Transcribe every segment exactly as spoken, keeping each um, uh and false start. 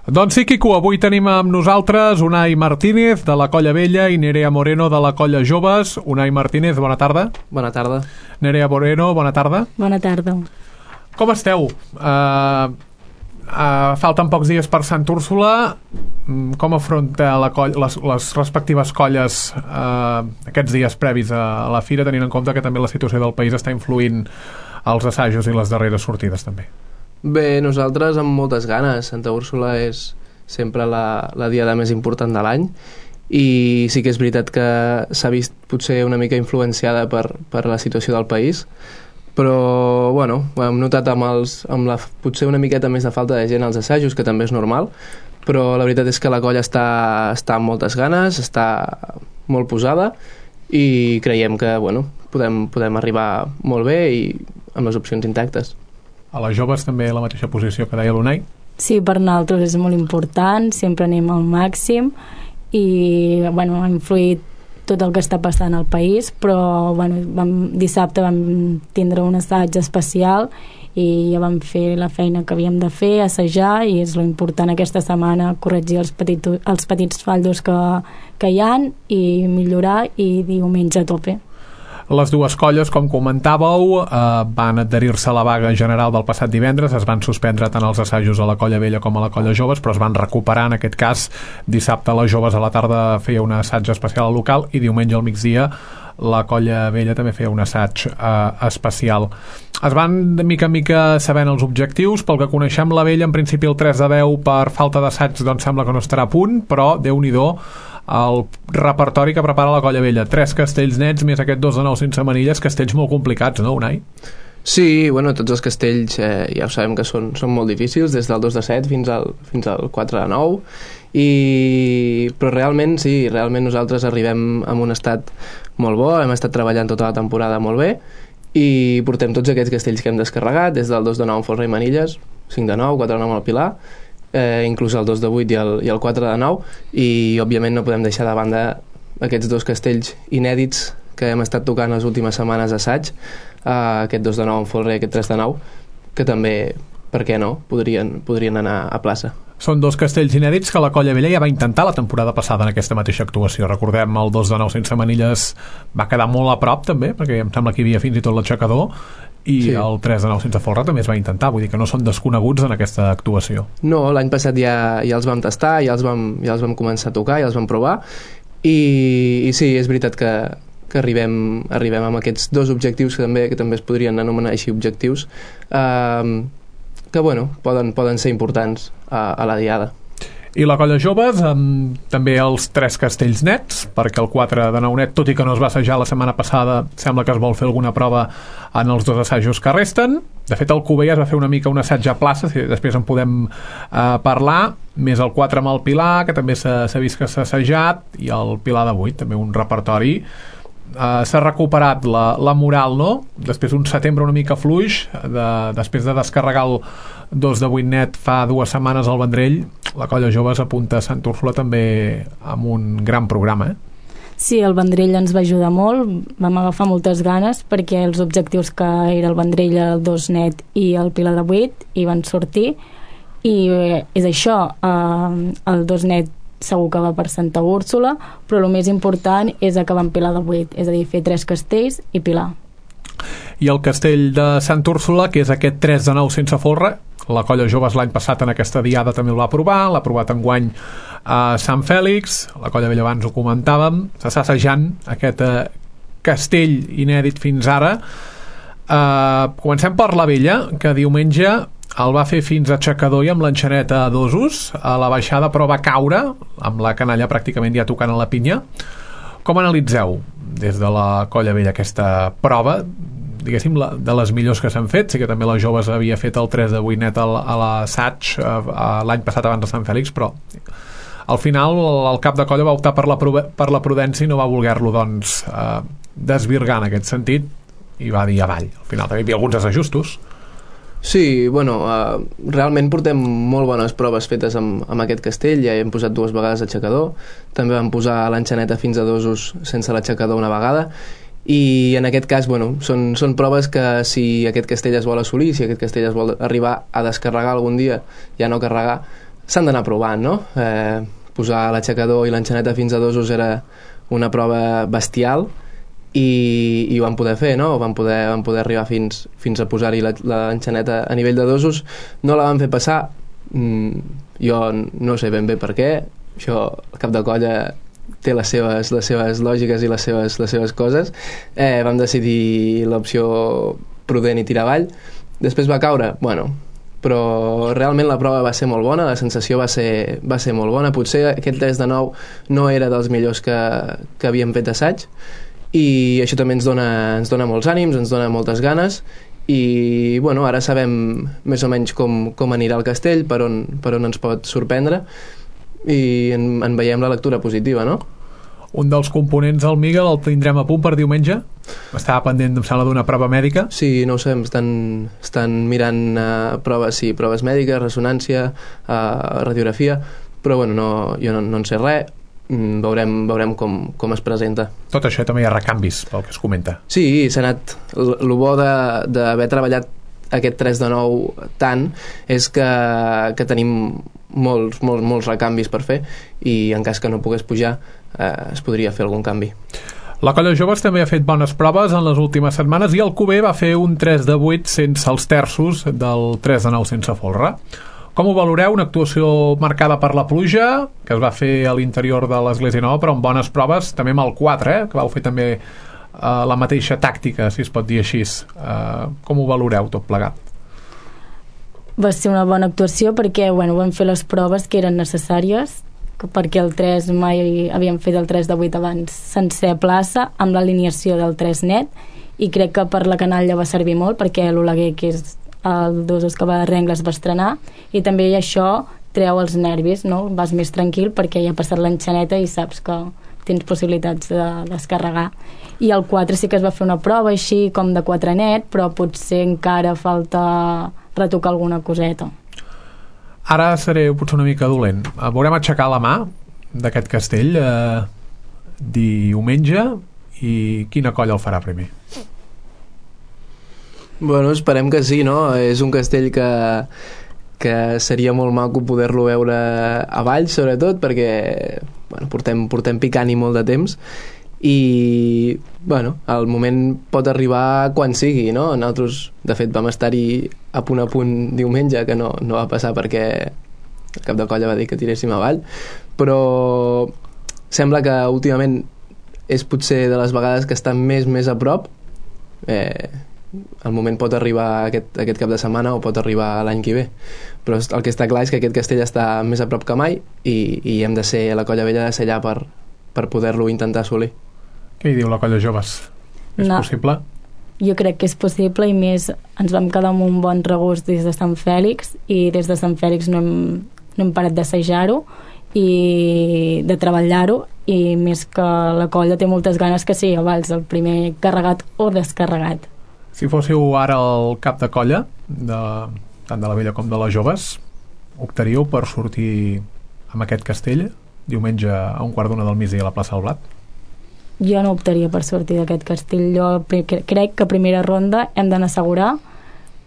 Doncs sí, Quico, avui tenim amb nosaltres Unai Martínez de la Colla Vella i Nerea Moreno de la Colla Joves. Unai Martínez, bona tarda. Bona tarda. Nerea Moreno, bona tarda. Bona tarda. Com esteu? Uh, uh, falten pocs dies per Sant Úrsula. Com afronta la colla, les, les respectives colles uh, aquests dies previs a la fira, tenint en compte que també la situació del país està influint als assajos i les darreres sortides també? Bé, nosaltres amb moltes ganes. Santa Úrsula és sempre la, la diada més important de l'any i sí que és veritat que s'ha vist potser una mica influenciada per, per la situació del país, però bueno, ho hem notat amb, els, amb la, potser una miqueta més de falta de gent als assajos, que també és normal, però la veritat és que la colla està, està amb moltes ganes, està molt posada i creiem que bueno, podem, podem arribar molt bé i amb les opcions intactes. A les joves també la mateixa posició que deia l'Unai? Sí, per nosaltres és molt important, sempre anem al màxim i bueno, ha influït tot el que està passant al país, però bueno, vam, dissabte vam tindre un assaig especial i ja vam fer la feina que havíem de fer, assajar, i és lo important aquesta setmana, corregir els, petit, els petits fallos que, que hi ha i millorar, i diumenge a tope. Les dues colles, com comentàveu, eh, van adherir-se a la vaga general del passat divendres. Es van suspendre tant els assajos a la Colla Vella com a la Colla Joves, però es van recuperar en aquest cas. Dissabte a les Joves a la tarda feia un assaig especial al local i diumenge al migdia la Colla Vella també feia un assaig eh, especial. Es van de mica en mica sabent els objectius. Pel que coneixem, la Vella en principi el tres de deu per falta d'assaig doncs sembla que no estarà a punt, però Déu-n'hi-do el repertori que prepara la Colla Vella. Tres castells nets més aquest dos de nou sense manilles, castells molt complicats, no, Unai? Sí, bueno, tots els castells eh, ja ho sabem que són, són molt difícils, des del dos de set fins al, fins al quatre de nou, i... però realment sí, realment nosaltres arribem en un estat molt bo, hem estat treballant tota la temporada molt bé i portem tots aquests castells que hem descarregat, des del dos de nou en Folre i Manilles, cinc de nou, quatre de nou al Pilar, eh, inclús el dos de vuit i el, i el quatre de nou, i òbviament no podem deixar de banda aquests dos castells inèdits que hem estat tocant les últimes setmanes d'assaig, eh, aquest dos de nou en Folre i aquest tres de nou, que també, per què no, podrien, podrien anar a plaça. Són dos castells inèdits que la Colla Vella ja va intentar la temporada passada en aquesta mateixa actuació. Recordem, el dos de nou sense manilles va quedar molt a prop també, perquè em sembla que hi havia fins i tot l'aixecador, i sí. El tres de nou sense folre també es va intentar, vull dir que no són desconeguts en aquesta actuació. No, l'any passat ja, ja els vam tastar, ja els vam, ja els vam començar a tocar, ja els vam provar, i, i sí, és veritat que, que arribem, arribem amb aquests dos objectius que també, que també es podrien anomenar així objectius, eh, que bueno, poden, poden ser importants a, a la diada. I la Colla Joves amb també els tres castells nets, perquè el quatre de nou net, tot i que no es va assajar la setmana passada, sembla que es vol fer alguna prova en els dos assajos que resten. De fet, el Cubell es va fer una mica un assaig a plaça, si després en podem eh, parlar, més el quatre amb el Pilar, que també s'ha vist que s'ha assajat, i el Pilar de vuit, també un repertori. Uh, s'ha recuperat la, la moral, no? Després un setembre una mica fluix, de, després de descarregar el dos de vuit net fa dues setmanes al Vendrell, la Colla Joves apunta a Sant Úrsula també amb un gran programa, eh? Sí, el Vendrell ens va ajudar molt, vam agafar moltes ganes perquè els objectius que era el Vendrell, el dos net i el Pilar de vuit hi van sortir, i eh, és això, eh, el dos net segur que va per Santa Úrsula, però el més important és acabar amb Pilar de vuit, és a dir, fer tres castells i Pilar. I el castell de Sant Úrsula, que és aquest tres de nou sense folre, la Colla Joves l'any passat en aquesta diada també el va provar, l'ha provat enguany a Sant Fèlix, la Colla Vella abans ho comentàvem, s'està assajant aquest eh, castell inèdit fins ara. Eh, comencem per la Vella, que diumenge el va fer fins a aixecador i amb l'enxaneta a dosos a la baixada, però va caure amb la canalla pràcticament ja tocant a la pinya. Com analitzeu des de la Colla Vella aquesta prova, diguéssim, la, de les millors que s'han fet? Sí que també les Joves havia fet el tres de vuit net a l'assaig l'any passat abans de Sant Fèlix, però al final el cap de colla va optar per la, per la prudència i no va voler-lo doncs eh, desvirgar en aquest sentit i va dir avall. Al final també hi havia alguns desajustos. Sí, bueno, uh, realment portem molt bones proves fetes amb, amb aquest castell, ja hem posat dues vegades aixecador, també vam posar l'enxaneta fins a dosos sense l'aixecador una vegada, i en aquest cas, bueno, són, són proves que si aquest castell es vol assolir, si aquest castell es vol arribar a descarregar algun dia, ja no carregar, s'han d'anar provant, no? Eh, posar l'aixecador i l'enxaneta fins a dosos era una prova bestial i, i ho vam poder fer, no? Vam poder, vam poder arribar fins, fins a posar-hi l'enxaneta a nivell de dosos. No la vam fer passar, mm, jo no sé ben bé per què, això el cap de colla té les seves, les seves lògiques i les seves, les seves coses. Eh, vam decidir l'opció prudent i tirar avall. Després va caure, bueno, però realment la prova va ser molt bona, la sensació va ser, va ser molt bona. Potser aquest tres de nou no era dels millors que, que havíem fet assaig, i això també ens dona, ens dona molts ànims, ens dona moltes ganes, i bueno, ara sabem més o menys com, com anirà el castell, per on, per on ens pot sorprendre, i en, en veiem la lectura positiva, no? Un dels components del Miguel el tindrem a punt per diumenge? Estava pendent, em sembla, d'una prova mèdica? Sí, no ho sé, estan, estan mirant uh, proves, sí, proves mèdiques, ressonància, uh, radiografia, però bueno, no, jo no, no en sé res, mm, veurem, veurem com, com es presenta. Tot això també hi ha recanvis, pel que es comenta. Sí, s'ha anat... El bo d'haver treballat aquest tres de nou tant és que, que tenim molts, molts, molts recanvis per fer, i en cas que no pogués pujar eh, es podria fer algun canvi. La colla joves també ha fet bones proves en les últimes setmanes, i el Cuber va fer un tres de vuit sense els terços del tres de nou sense folre. Com ho valoreu? Una actuació marcada per la pluja, que es va fer a l'interior de l'Església Nova, però amb bones proves, també amb el quatre, eh, que vau fer també Uh, la mateixa tàctica, si es pot dir així. Uh, com ho valoreu tot plegat? Va ser una bona actuació perquè bueno, vam fer les proves que eren necessàries, perquè el tres mai havíem fet el tres de vuit abans sencer plaça, amb l'alineació del tres net, i crec que per la canalla va servir molt, perquè l'Oleguer, que és el dos que va de Rengles, va estrenar, i també això treu els nervis, no? Vas més tranquil perquè ja ha passat l'enxaneta i saps que tens possibilitats de descarregar. I el quatre sí que es va fer una prova així com de quatre net, però potser encara falta retocar alguna coseta. Ara seré potser una mica dolent. Veurem aixecar la mà d'aquest castell eh, diumenge, i quina colla el farà primer? Bueno, esperem que sí, no? És un castell que que seria molt maco poder-lo veure a Valls, sobretot, perquè bueno, portem, portem picant-hi molt de temps, i bueno, el moment pot arribar quan sigui, no? Nosaltres, de fet, vam estar-hi a punt a punt diumenge, que no, no va passar perquè el cap de colla va dir que tiréssim avall, però sembla que últimament és potser de les vegades que està més més a prop. eh, el moment pot arribar aquest, aquest cap de setmana o pot arribar l'any que ve, però el que està clar és que aquest castell està més a prop que mai, i, i hem de ser, la colla vella ha de ser allà per, per poder-lo intentar assolir. Què hi diu la colla joves? És no. possible? Jo crec que és possible, i més ens vam quedar amb un bon regust des de Sant Fèlix, i des de Sant Fèlix no hem, no hem parat d'assajar-ho i de treballar-ho, i més que la colla té moltes ganes que sigui a Valls el primer carregat o descarregat. Si fóssiu ara el cap de colla de, tant de la vella com de les joves, optaríeu per sortir amb aquest castell diumenge a un quart d'una del migdia a la plaça del Blat? Jo no optaria per sortir d'aquest castell. Jo crec que a primera ronda hem d'anar a assegurar.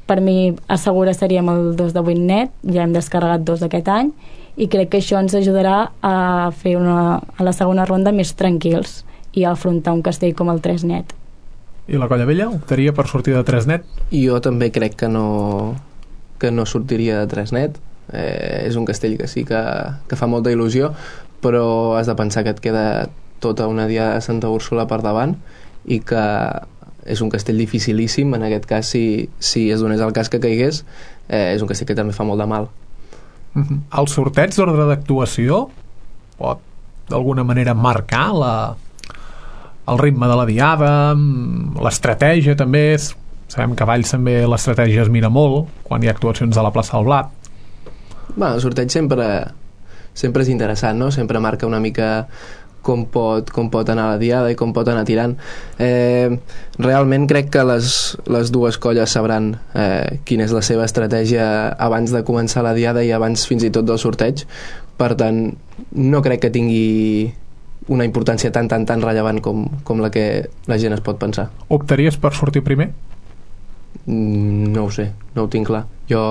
Per mi assegurar seríem el dos de vuit net, ja hem descarregat dos d'aquest any, i crec que això ens ajudarà a fer una, a la segona ronda més tranquils i a afrontar un castell com el tres net. I la colla vella optaria per sortir de tres net? Jo també crec que no, que no sortiria de tres net. Eh, és un castell que sí que, que fa molta il·lusió, però has de pensar que et queda tota una diada de Santa Úrsula per davant, i que és un castell dificilíssim. En aquest cas, si, si es donés el cas que caigués, eh, és un castell que també fa molt de mal. Mm-hmm. El sorteig d'ordre d'actuació pot d'alguna manera marcar la el ritme de la diada, l'estratègia també. Sabem que a Valls també l'estratègia es mira molt quan hi ha actuacions a la plaça del Blat. Bueno, el sorteig sempre sempre és interessant, no? Sempre marca una mica com pot, com pot anar la diada i com pot anar tirant. Eh, realment crec que les, les dues colles sabran eh, quina és la seva estratègia abans de començar la diada i abans fins i tot del sorteig. Per tant, no crec que tingui una importància tan, tan, tan rellevant com, com la que la gent es pot pensar. Optaries per sortir primer? Mm, no ho sé, no ho tinc clar. Jo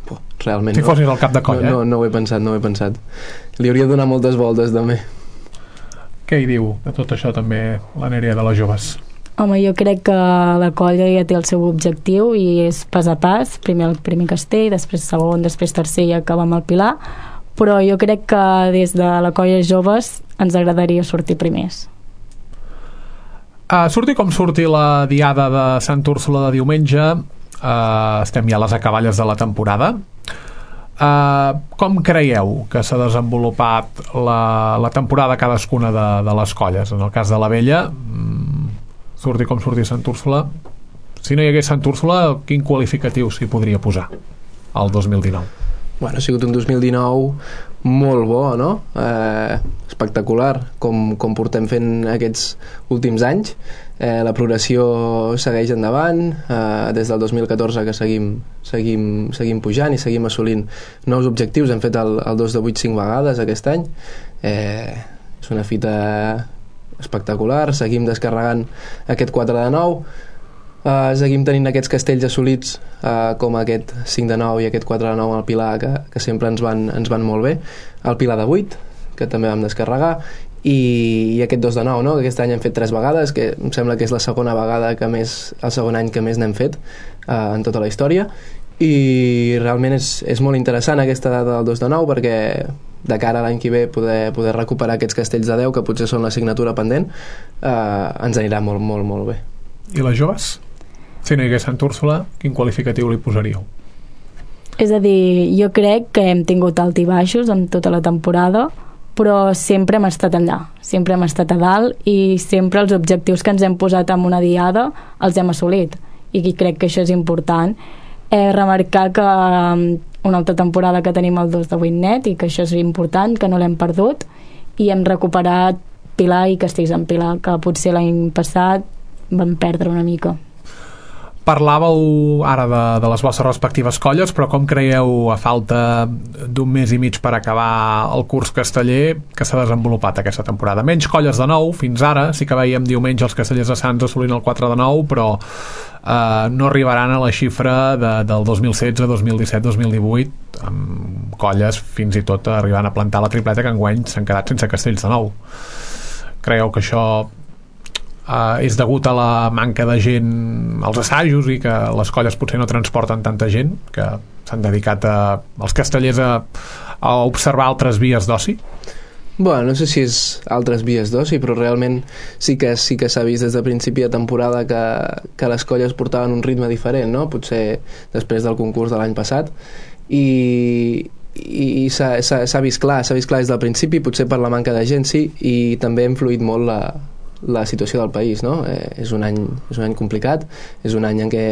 Puh, realment si no. fossis el cap de colla, no, no, no ho he pensat, no ho he pensat. Li hauria de donar moltes voltes també. Què hi diu de tot això també la Nerea de les Joves? Home, jo crec que la colla ja té el seu objectiu i és pas a pas, primer el primer castell, després segon, després tercer i acabar amb el Pilar, però jo crec que des de la colla Joves ens agradaria sortir primers. Uh, surti com surti la diada de Sant Úrsula de diumenge, uh, estem ja a les acaballes de la temporada. Uh, com creieu que s'ha desenvolupat la, la temporada cadascuna de, de les colles? En el cas de la Vella, surti com surti Sant Úrsula, si no hi hagués Sant Úrsula, quin qualificatiu s'hi podria posar al dos mil dinou? Bueno, ha sigut un dos mil dinou molt bo, no? Eh, espectacular, com, com portem fent aquests últims anys. Eh, la progressió segueix endavant, eh, des del dos mil catorze que seguim, seguim, seguim pujant i seguim assolint nous objectius. Hem fet el, el dos de vuit cinc vegades aquest any. Eh, és una fita espectacular, seguim descarregant aquest quatre de nou, uh, seguim tenint aquests castells assolits uh, com aquest cinc de nou i aquest quatre de nou al Pilar que, que sempre ens van, ens van molt bé, el Pilar de vuit que també vam descarregar i, i aquest dos de nou, no? Que aquest any hem fet tres vegades, que em sembla que és la segona vegada que més, el segon any que més n'hem fet uh, en tota la història, i realment és, és molt interessant aquesta data del dos de nou perquè de cara a l'any que ve poder, poder recuperar aquests castells de deu que potser són l'assignatura pendent, eh, ens anirà molt, molt, molt bé. I les joves? Si no hi hagués Sant Úrsula, quin qualificatiu li posaríeu? És a dir, jo crec que hem tingut alt i baixos en tota la temporada, però sempre hem estat allà, sempre hem estat a dalt i sempre els objectius que ens hem posat en una diada els hem assolit, i crec que això és important. Eh, remarcar que una altra temporada que tenim el dos de vuit net i que això és important, que no l'hem perdut, i hem recuperat Pilar i Castells en Pilar, que potser l'any passat vam perdre una mica. Parlàveu ara de, de les vostres respectives colles, però com creieu, a falta d'un mes i mig per acabar el curs casteller, que s'ha desenvolupat aquesta temporada? Menys colles de nou, fins ara, sí que veiem diumenge els castellers de Sants assolint el quatre de nou, però eh, no arribaran a la xifra de, del dos mil setze, dos mil disset, dos mil divuit, amb colles fins i tot arribant a plantar la tripleta que enguany s'han quedat sense castells de nou. Creieu que això Uh, és degut a la manca de gent als assajos i que les colles potser no transporten tanta gent, que s'han dedicat a, els castellers a, a observar altres vies d'oci? Bueno, no sé si és altres vies d'oci, però realment sí que sí que s'ha vist des de principi de temporada que, que les colles portaven un ritme diferent, no? Potser després del concurs de l'any passat, i, i s'ha vist clar, s'ha vist clar des del principi, potser per la manca de gent sí, i també ha influït molt la la situació del país, no? Eh, és un any, és un any complicat, és un any en què,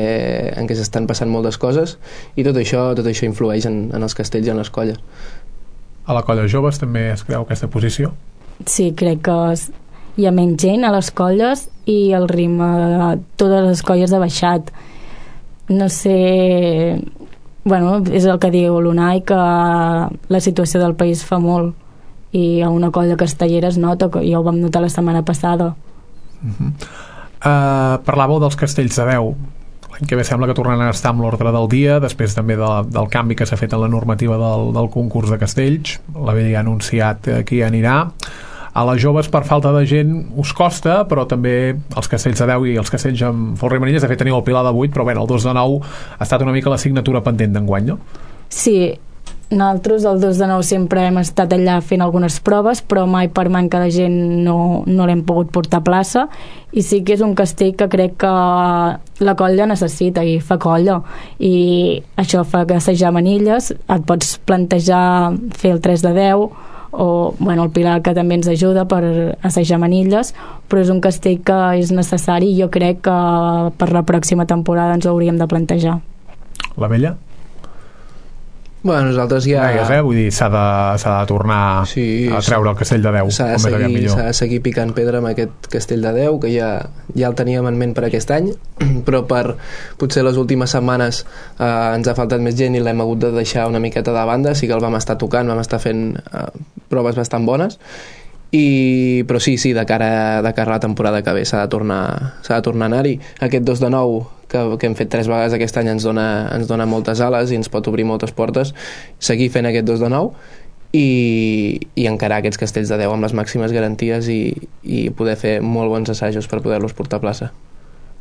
en què s'estan passant moltes coses i tot això, tot això influeix en, en els castells i en les colles. A la colla joves també es creu aquesta posició? Sí, crec que hi ha menys gent a les colles i el ritme de totes les colles ha baixat. No sé... Bueno, és el que diu l'Unai, que la situació del país fa molt, i a una colla castellera es nota, que ja ho vam notar la setmana passada. Uh-huh. uh, Parlàveu dels castells de deu. L'any que ve sembla que tornaran a estar amb l'ordre del dia, després també de, del canvi que s'ha fet en la normativa del, del concurs de castells. La Vella ha anunciat eh, qui anirà. A les joves, per falta de gent, us costa, però també els castells de deu i els castells amb Folre i Manilles, de fet teniu el Pilar de vuit, però bé, el dos de nou ha estat una mica l'assignatura pendent d'enguany, no? Sí, nosaltres el dos de nou sempre hem estat allà fent algunes proves, però mai per manca de gent no, no l'hem pogut portar a plaça, i sí que és un castell que crec que la colla necessita i fa colla, i això fa que assajar manilles, et pots plantejar fer el tres de deu o bueno, el Pilar, que també ens ajuda per assajar manilles, però és un castell que és necessari i jo crec que per la pròxima temporada ens ho hauríem de plantejar. La Vella? Bueno, nosaltres ja... Gaires, eh? Vull dir, s'ha de, s'ha de tornar sí, a treure el castell de deu. S'ha de, seguir, s'ha de seguir picant pedra amb aquest castell de deu, que ja, ja el teníem en ment per aquest any, però per potser les últimes setmanes eh, ens ha faltat més gent i l'hem hagut de deixar una miqueta de banda. Sí que el vam estar tocant, vam estar fent eh, proves bastant bones, i, però sí, sí, de cara, de cara a la temporada que ve s'ha de tornar, s'ha de tornar a anar-hi. Aquest dos de nou que, que hem fet tres vegades aquest any ens dona, ens dona moltes ales i ens pot obrir moltes portes, seguir fent aquest dos de nou i, i encarar aquests castells de deu amb les màximes garanties i, i poder fer molt bons assajos per poder-los portar a plaça.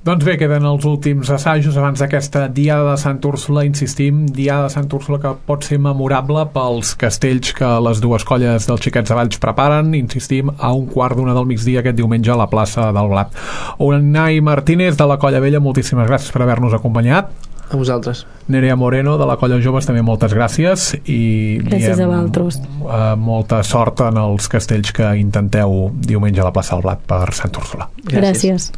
Doncs bé, queden els últims assajos abans d'aquesta Diada de Sant Úrsula. Insistim, Diada de Sant Úrsula que pot ser memorable pels castells que les dues colles dels Xiquets de Valls preparen. Insistim, a un quart d'una del migdia aquest diumenge a la plaça del Blat. Unai Martínez, de la Colla Vella, moltíssimes gràcies per haver-nos acompanyat. A vosaltres. Nerea Moreno, de la Colla Joves, també moltes gràcies i gràcies diem, a vosaltres. Uh, molta sort en els castells que intenteu diumenge a la plaça del Blat per Sant Úrsula. Gràcies, gràcies.